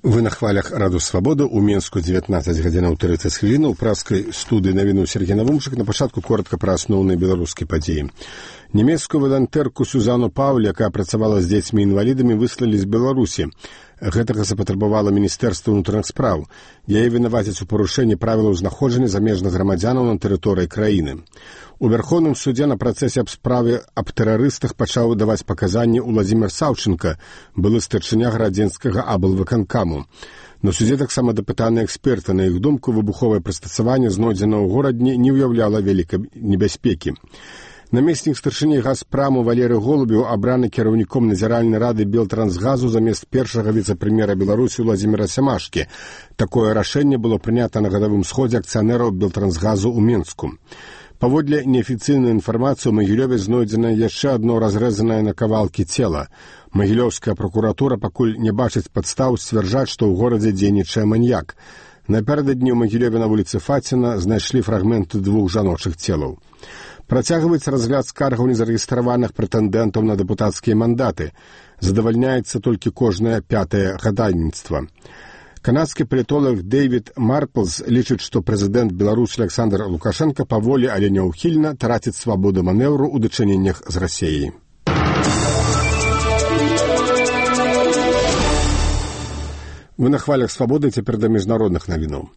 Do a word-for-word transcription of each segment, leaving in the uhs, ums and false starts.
Вы на хвалях Раду Свабода у Менску дзевятнаццаць гадзінаў трыццаць хвілін у праскай студыі навіну Сергей Навумчык. На пачатку коротка пра асноўныя беларускія падзеі. Нямецкую валантэрку Сюзану Паўль, якая працавала з дзецьмі-інвалідамі, выслалі з Беларусі. Гэтага запатрабавала Міністэрства ўнутраных спраў. Яе вінавацяць у парушэнні правілаў знаходжання замежных грамадзянаў на тэрыторыі краіны. У Верховным судзе на працэсе аб справе аб тэрарыстах пачаў даваць паказанні Уладзімір Саўчынка, былы старшыня гарадзенскага аблвыканкаму. На судзе таксама дапытаны эксперты. На іх думку, выбуховае прыстасаванне, знойдзена ў горадні, не ўяўляла вялікай небяспекі. Намеснік старшыні Газпраму Валерый Голубеў абраны кіраўніком назіральнай рады Белтрансгазу замест першага віцэ-прэм'ера Беларусі Уладзіміра Сямашкі. Такое рашэнне было прынята на гадавым сходзе акцыянераў Белтрансгазу ў Менску. Паводле неафіцыйнай інфармацыі, у Магілёве знойдзена яшчэ адно разрэзанае на кавалкі цела. Магілёўская пракуратура пакуль не бачыць падстаў сцвярджаць, што ў горадзе дзейнічае маньяк. Напярэдадні ў Магілёве на вуліцы Фаціна знайшлі фрагменты двух жаночых целаў. Працягваецца разгляд скаргаў незарэгістраваных прэтэндэнтаў на дэпутацкія мандаты. Задавальняецца толькі кожнае пятае гадальніцтва. Канадскі палітолог Дэвід Марплз лічыць, што прэзідэнт Беларусі Александр Лукашенко паволі, але няўхільна траціць свабоду манеўру ў дачыненнях з Расіяй. Вы на хвалях Свабоды, цяпер да міжнародных навінаў.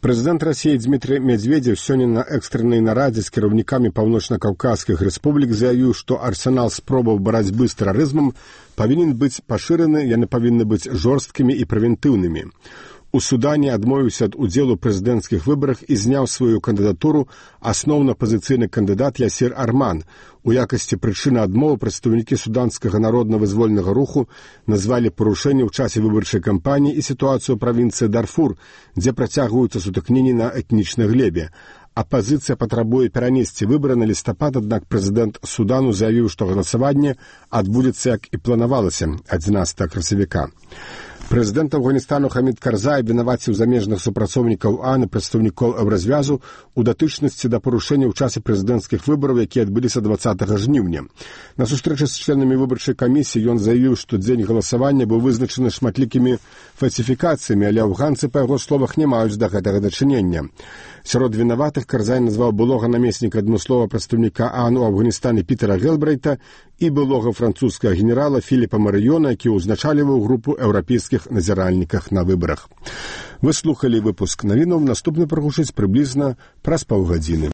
Прэзідэнт Расіі Дмітрый Медведзеў сёння на экстрэннай нарадзе з кіраўнікамі паўночна-каўказскіх рэспублік заявіў, што арсенал спробаў барацьбы з тэрарызмам павінен быць пашыраны, яны павінны быць жорсткімі і прэвентыўнымі. У Судане адмовіўся ад удзелу ў прэзідэнцкіх выбарах і зняў сваю кандыдатуру асноўна апазіцыйны кандыдат Ясір Арман. У якасці прычыны адмовы прадстаўнікі суданскага народна-вызвольнага руху назвалі парушэнне ў часе выбарчай кампаніі і сітуацыю ў правінцыі Дарфур, дзе працягваюцца сутыкненні на этнічнай глебе. Апазіцыя патрабуе перанесці выбары на лістапад, аднак прэзідэнт Судану заявіў, што галасаванне адбудзецца, як і планавалася, адзінаццатага красавіка. Прэзідэнт Афганістану Хамід Карзай вінаваціў замежных супрацоўнікаў АН і прадстаўнікоў Еўразвязу у датычнасці да парушэння ў часе прэзідэнцкіх выбараў, якія адбыліся дваццатага жніўня. На сустрэчы з членамі выбарчай камісіі ён заявіў, што дзень галасавання быў вызначаны шматлікімі фальсіфікацыямі, але афганцы, па яго словах, не маюць да гэтага дачынення. Сярод вінаватых Карзай назваў былога намесніка адмысловага прадстаўніка АН у Афганістане Пітера Гелбрейта і былога французскага генерала Філіпа Марыёна, які ўзначальваў групу еўрапейскіх назіральніках на выбарах. Вы слухалі выпуск навінаў, наступны прагучыць прыблізна праз паўгадзіны.